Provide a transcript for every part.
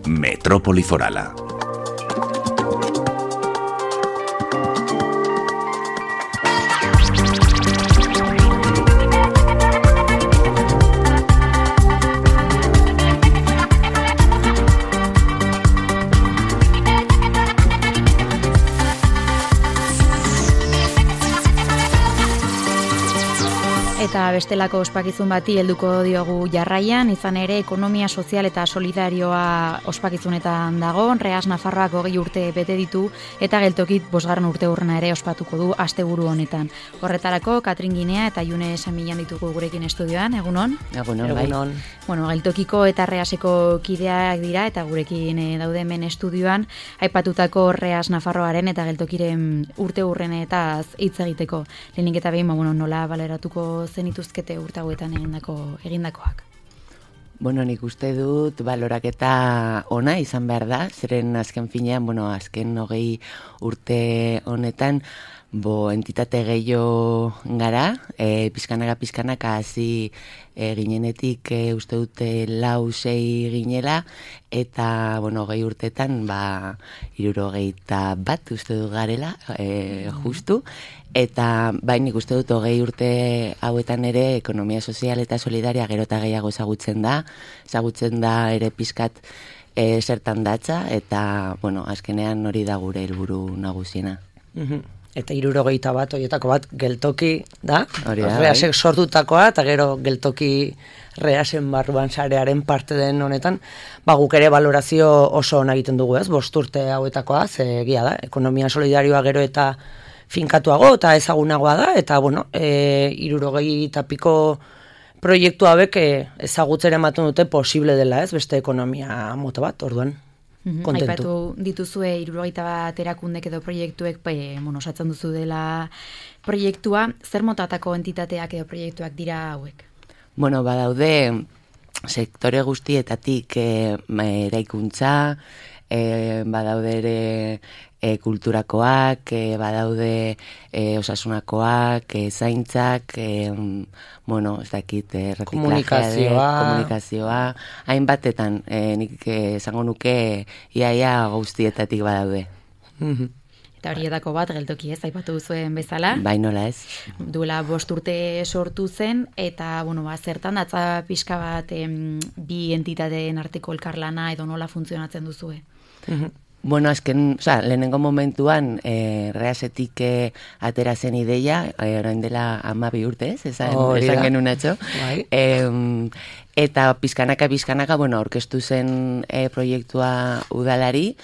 Metrópoli Forala. Eta bestelako ospakizun bati helduko diogu jarraian, izan ere ekonomia sozial eta solidarioa ospakizunetan dago. Reas Nafarroak 20 urte bete ditu eta geltokit 5. urteurrena ere ospatuko du asteburu honetan. Horretarako Katrin Ginea eta June Samilan ditugu gurekin estudioan. Egunon? Egunon. Bueno, geltokiko eta Reaseko kideak dira eta gurekin daude hemen estudioan aipatutako Reas Nafarroaren eta geltokiren urteurrenetaz hitz egiteko. Lehenik eta behin, nola baleratuko zenituzkete urte hauetan egindakoak? Bueno, nik uste dut baloraketa ona izan behar da, zeren azken finean, azken 20 urte honetan, entitate gehiago gara, pizkanaka hasi ginenetik uste dute 4-6 ginela, eta, 20 urtetan, 61 uste dut garela, justu, eta nik uste dut 20 urte hauetan ere ekonomia sozial eta solidaria gero eta gehiago ezagutzen da ere pizkat zertan datza, eta, azkenean hori da gure helburu nagusiena. Eta 61 horietako bat geltoki da, Reasek sortutakoa, eta gero geltoki Reasen barruan sarearen parte den honetan, guk ere valorazio oso ona egiten dugu, 5 urte hauetakoa, ze egia da, ekonomia solidarioa gero eta finkatuago eta ezagunagoa da, eta 60 piko proiektu hauek ezagutzera ematen dute posible dela, beste ekonomia mota bat, orduan. Kontentu. Aipatu dituzue 61 erakundek edo proiektuek, osatzen duzu dela proiektua, zer motatako entitateak edo proiektuak dira hauek? Badaude sektore guztietatik eraikuntza, badaude ere kulturakoak, badaude osasunakoak, zaintzak, ez dakit, komunikazioa, hainbatetan, nik esango nuke iaia guztietatik badaude. Eta horietako bat geltoki aipatu duzuen bezala. Bai, nola ez. Duela 5 urte sortu zen, eta, zertan datza pixka bat bi entitateen arteko elkarlana edo nola funtzionatzen duzue? Azken, lehenengo momentuan Reasetik atera zen ideia, orain dela 12 urte, esan genuen atxo. Eta pizkanaka, orkestu zen proiektua udalari,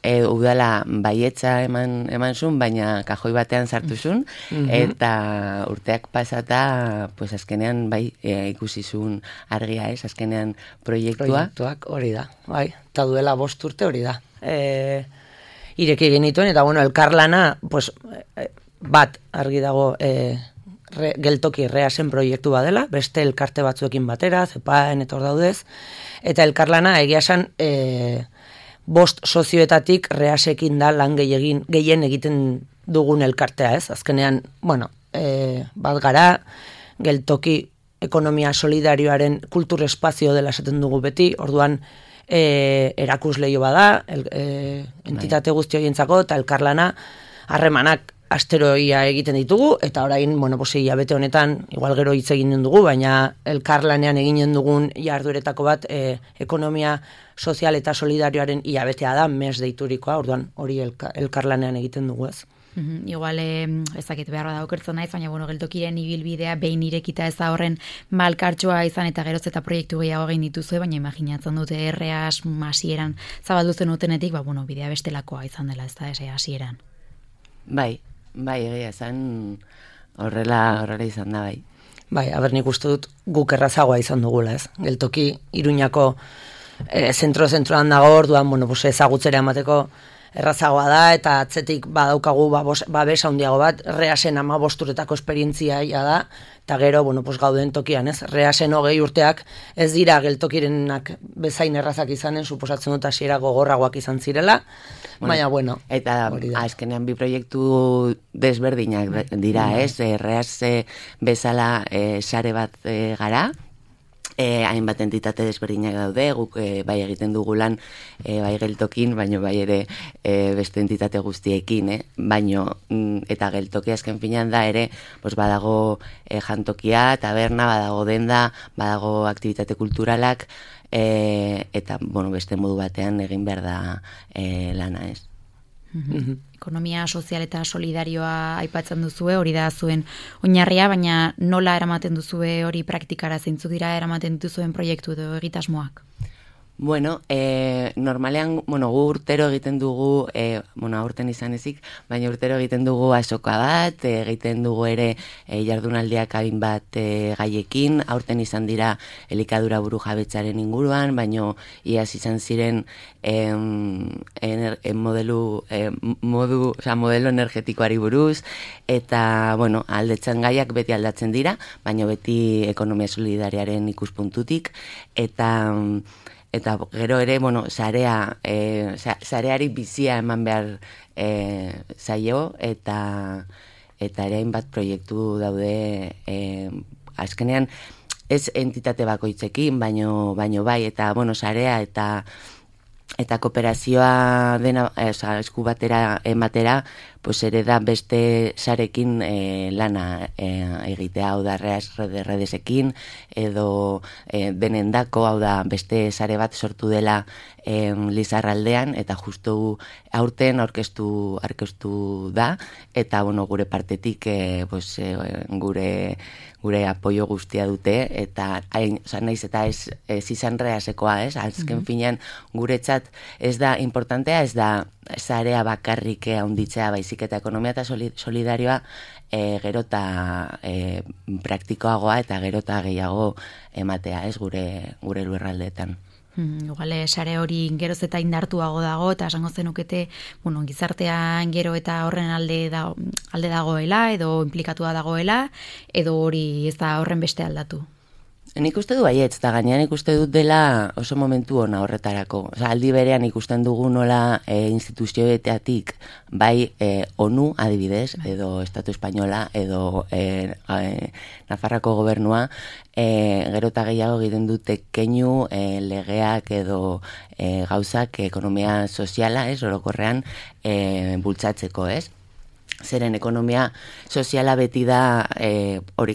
udala baietza eman zuen, baina kajoi batean sartu zuen, eta urteak pasata, azkenean ikusi zuen argia azkenean proiektua. Proiektuak hori da, eta duela 5 urte hori da. Ireki genituen, eta elkarlana, bat argi dago geltoki Reasen proiektu badela, beste elkarte batzuekin batera, zepaen eta hor daudez, eta elkarlana egia esan 5 sozioetatik Reasekin da lan gehien egiten dugun elkartea, azkenean, bat gara, geltoki ekonomia solidarioaren kultur espazio dela esaten dugu beti, orduan erakusleio bada, entitate guzti horientzako, eta elkarlana harremanak asteroia egiten ditugu, eta orain, hilabete honetan, igual gero hitz eginen dugu, baina elkarlanean eginen dugun jardueretako bat ekonomia sozial eta solidarioaren hilabetea da, mes deiturikoa, orduan hori elkarlanean egiten dugu ez. Igual, ezakit beharra da okertzen naiz, baina geltokiren ibilbidea behin irekita ez da horren malkartxoa izan eta geroz eta proiektu gehiago egin dituzue, baina imaginatzen dute Reas hasieran zabaldu zen utenetik, bidea bestelakoa izan dela, ez da, hasieran. Bai, egia esan horrela izan da, bai. Nik uste dut guk errazagoa izan dugula, ez? Geltoki Iruñako zentroan dago, orduan, ezagutzera emateko errazagoa da, eta atzetik badaukagu babes handiago bat, Reasen 15 urtetako esperientzia da, eta gero, gauden tokian, ez? Reasen 20 urteak ez dira geltokirenak bezain errazak izanen, suposatzen dut hasiera gogorragoak izan zirela, baina, eta azkenean bi proiektu desberdinak dira, ez? Reas bezala sare bat gara, hainbat entitate desberdinak daude, guk bai egiten dugu lan bai geltokin, baino bai ere beste entitate guztiekin, baino eta geltokia azken finean da ere, badago jantokia, taberna, badago denda, badago aktibitate kulturalak, eta beste modu batean egin behar da lana, ez. Ekonomia sozial eta solidarioa aipatzen duzue, hori da zuen oinarria, baina nola eramaten duzue hori praktikara, zeintzuk dira eramaten dituzuen proiektu edo egitasmoak? Normalean, gu urtero egiten dugu, aurten izan ezik, baina urtero egiten dugu azoka bat, egiten dugu ere jardunaldiak adin bat gaiekin, aurten izan dira elikadura buru jabetzaren inguruan, baina iaz izan ziren modelo energetikoari buruz, eta, aldetzen gaiak beti aldatzen dira, baina beti ekonomia solidariaren ikuspuntutik, eta gero ere, sareari bizia eman behar zaio, eta ere hainbat proiektu daude azkenean, ez entitate bakoitzekin, baino bai, eta sarea eta kooperazioa dena, esku batera ematera, ere da beste sarekin lana egitea, hau da redesekin, edo denendako, hau da beste sare bat sortu dela Lizarraldean, eta justu aurten aurkeztu da, eta gure partetik gure apoio guztia dute, eta naiz eta ez izan Reasekoa, ez? Azken finean guretzat ez da importantea, ez da zarea bakarrik handitzea, baizik eta ekonomia eta solidarioa gero eta praktikoagoa eta gero eta gehiago ematea, ez, gure lurraldeetan. Iguale, sare hori geroz eta indartuago dago, eta esango zenukete, gizartean gero eta horren alde dagoela, edo implikatua dagoela, edo hori ez da horren beste aldatu. Nik uste du baietz, eta gainean ikuste dut dela oso momentu ona horretarako. Aldi berean ikusten dugu nola instituzioetatik, bai ONU adibidez, edo Estatu Espainola, edo Nafarrako gobernua, gero eta gehiago egiten dute keinu legeak edo gauzak ekonomia soziala, orokorrean bultzatzeko, ez? Zeren ekonomia soziala beti da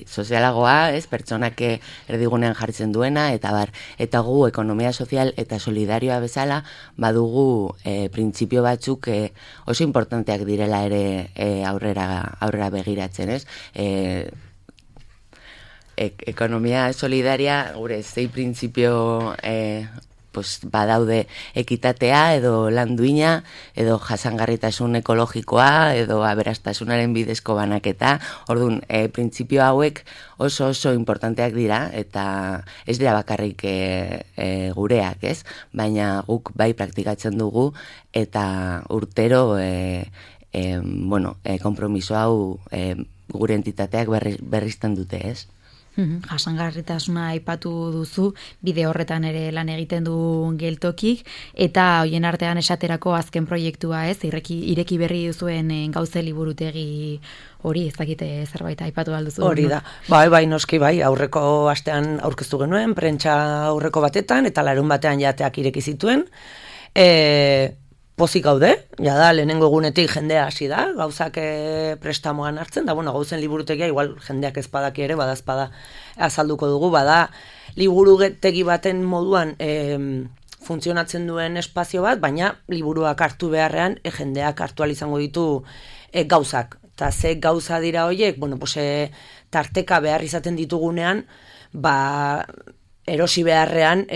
sozialagoa, ez, pertsonak erdigunean jartzen duena, eta gu ekonomia sozial eta solidarioa bezala badugu printzipio batzuk oso importanteak direla ere aurrera begiratzen, ez? Ekonomia solidaria, gure zei printzipio badaude ekitatea, edo lan duina, edo jasangarritasun ekologikoa, edo aberastasunaren bidezko banaketa. Orduan, printzipio hauek oso importanteak dira, eta ez dira bakarrik gureak, ez? Baina guk bai praktikatzen dugu, eta urtero konpromiso hau gure entitateak berrizten dute, ez? Jasangarritasuna aipatu duzu, bide horretan ere lan egiten du geltokik, eta hoien artean esaterako azken proiektua, ez, ireki berri duzuen gauze liburutegi hori, ez dakite zerbait aipatu alduzu. Hori da, bai, noski bai, aurreko astean aurkeztu genuen, prentsa aurreko batetan, eta larun batean jateak ireki zituen, pozik gaude, da, lehenengo egunetik jendea hasi da, gauzak prestamoan hartzen, da, gauzen liburutegia, igual jendeak ezpadaki ere, badazpada azalduko dugu, bada, liburutegi baten moduan funtzionatzen duen espazio bat, baina liburuak hartu beharrean, jendeak hartu izango ditu gauzak. Eta ze gauza dira horiek, tarteka behar izaten ditugunean, erosi beharrean,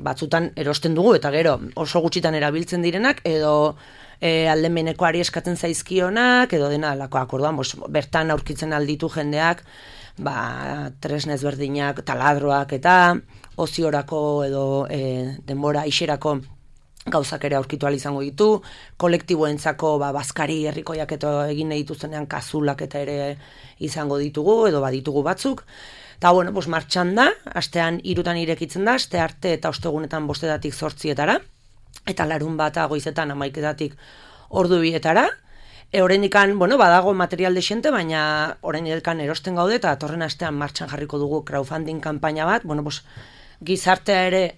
batzutan erosten dugu, eta gero oso gutxitan erabiltzen direnak, edo aldemenekoari eskatzen zaizkionak, edo dena alakoak, orduan, bertan aurkitzen alditu jendeak, tresnez berdinak, taladroak eta oziorako edo denbora ixerako gauzak ere aurkitu ahal izango ditu, kolektiboentzako bazkari herrikoiak eta egin nahi dituztenean kazulak eta ere izango ditugu, edo baditugu batzuk. Eta, martxan da, astean 3 irekitzen da, aste arte eta ostegunetan 5-etatik 8-etara, eta larun bata goizetan 11-etatik 2-etara. Oraindikan, badago material dexente, baina oraindikan erosten gaude, eta atorren astean martxan jarriko dugu crowdfunding kanpaina bat, gizartea ere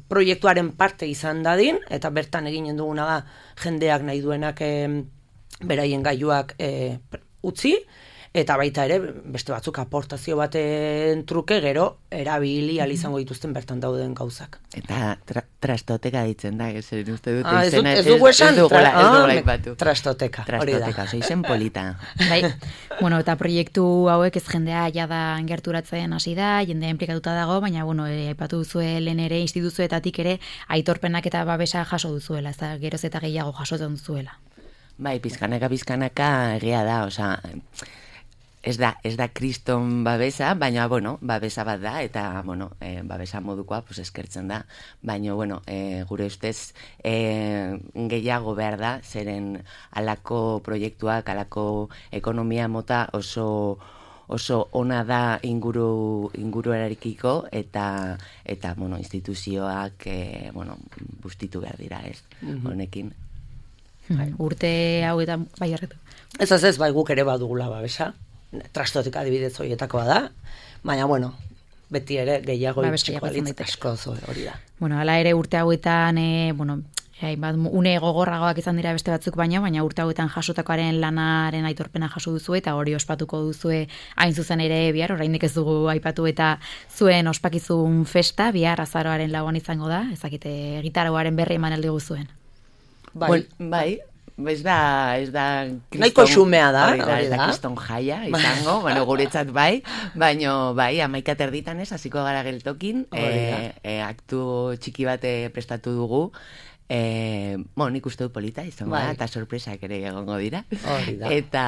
proiektuaren parte izan dadin, eta bertan eginen duguna da jendeak nahi duenak beraien gailuak utzi, eta baita ere beste batzuk aportazio baten truke gero erabili ahal izango dituzten bertan dauden gauzak. Eta trastoteka ditzen da, zer uste dut izena. Ez dugu esan? Trastoteka, hori da. Trastoteka, izen polita. Bai, eta proiektu hauek ez jendea jada gerturatzen hasi da, jendea implikatuta dago, baina, aipatu duzue lehen ere instituzioetatik ere aitorpenak eta babesa jaso duzuela, ez da geroz eta gehiago jasotzen duzuela. Bai, pizkanaka egia da, ez da kriston babesa, baina, babesa bat da, eta, babesa modukoa, eskertzen da, baina, gure ustez gehiago behar da, zeren alako proiektuak, alako ekonomia mota oso ona da inguruarekiko, eta instituzioak, bustitu behar dira, ez, honekin. Urte hauetan, bai harretu. Ez, bai guk ere badugula babesa, trastoteka adibidez horietakoa da, baina, beti ere gehiago itxiko alitz asko hori da. Hala ere urte hauetan, une gogorragoak izan dira beste batzuk baina urte hauetan jasotakoaren lanaren aitorpena jaso duzu eta hori ospatuko duzue hain zuzen ere bihar, oraindik ez dugu aipatu eta zuen ospakizun festa, bihar azaroaren 4 izango da, ezakite gitaroaren berri eman aldi guzuen. Bai, ez da nahiko xumea da, ez da kriston jaia izango, guretzat bai, baina bai, 11:30 hasiko gara geltokin, aktu txiki bat prestatu dugu, nik uste du polita izango da, eta sorpresak ere egongo dira. Eta,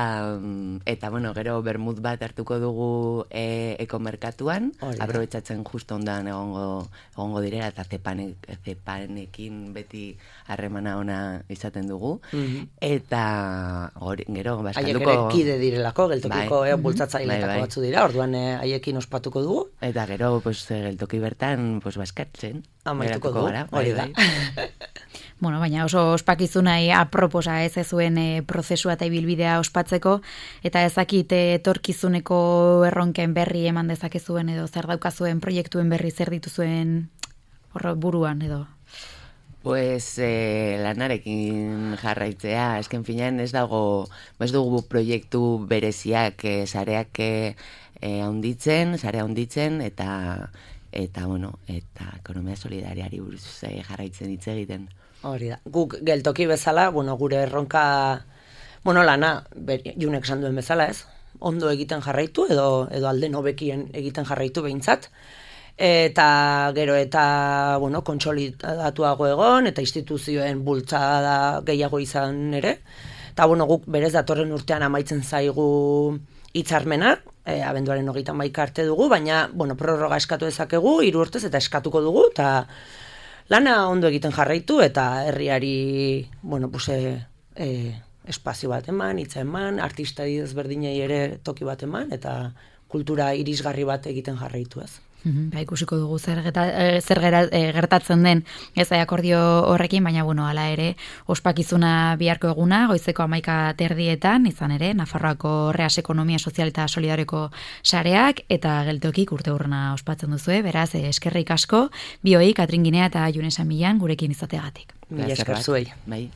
gero bermut bat hartuko dugu ekomerkatuan, aprobetxatzen justo ondan egongo direla, eta zepanekin beti harremana ona izaten dugu. Eta, gero, haiek ere kide direlako, geltokiko bultzatzaileetako batzu dira, orduan haiekin ospatuko dugu. Eta gero, geltoki bertan, baskartzen. Amaituko dugu, hori da. Baina oso ospakizunai aproposa ez zuen prozesua eta ibilbidea ospatzeko, eta ezakit etorkizuneko erronken berri eman dezakezuen edo zer daukazuen proiektuen berri zer dituzuen buruan edo? Lanarekin jarraitzea, esken finean ez dugu proiektu bereziak sareak handitzen, eta ekonomia solidariari buruz jarraitzen hitz egiten. Hori da. Guk geltoki bezala, gure erronka, lana, Junek esan duen bezala, ez? Ondo egiten jarraitu, edo alden hobekien egiten jarraitu behintzat. Eta gero eta, kontsolidatuago egon, eta instituzioen bultzada gehiago izan ere. Eta, guk berez datorren urtean amaitzen zaigu hitzarmena, abenduaren 31 arte dugu, baina, prorroga eskatu dezakegu, 3 urtez eta eskatuko dugu, eta lana ondo egiten jarraitu, eta herriari, espazio bat eman, hitza eman, artista ezberdinei ere toki bat eman, eta kultura irisgarri bat egiten jarraitu ez. Ikusiko dugu zer gertatzen den ez akordio horrekin, baina hala ere ospakizuna biharko eguna, goizeko 11:30 izan ere, Nafarroako Reas Ekonomia Sozial eta Solidarioko sareak, eta geltokik urteurrena ospatzen duzue, beraz eskerrik asko, bioi, Katrin Ginea eta June San Millan gurekin izateagatik. Mila esker zuei. Bai.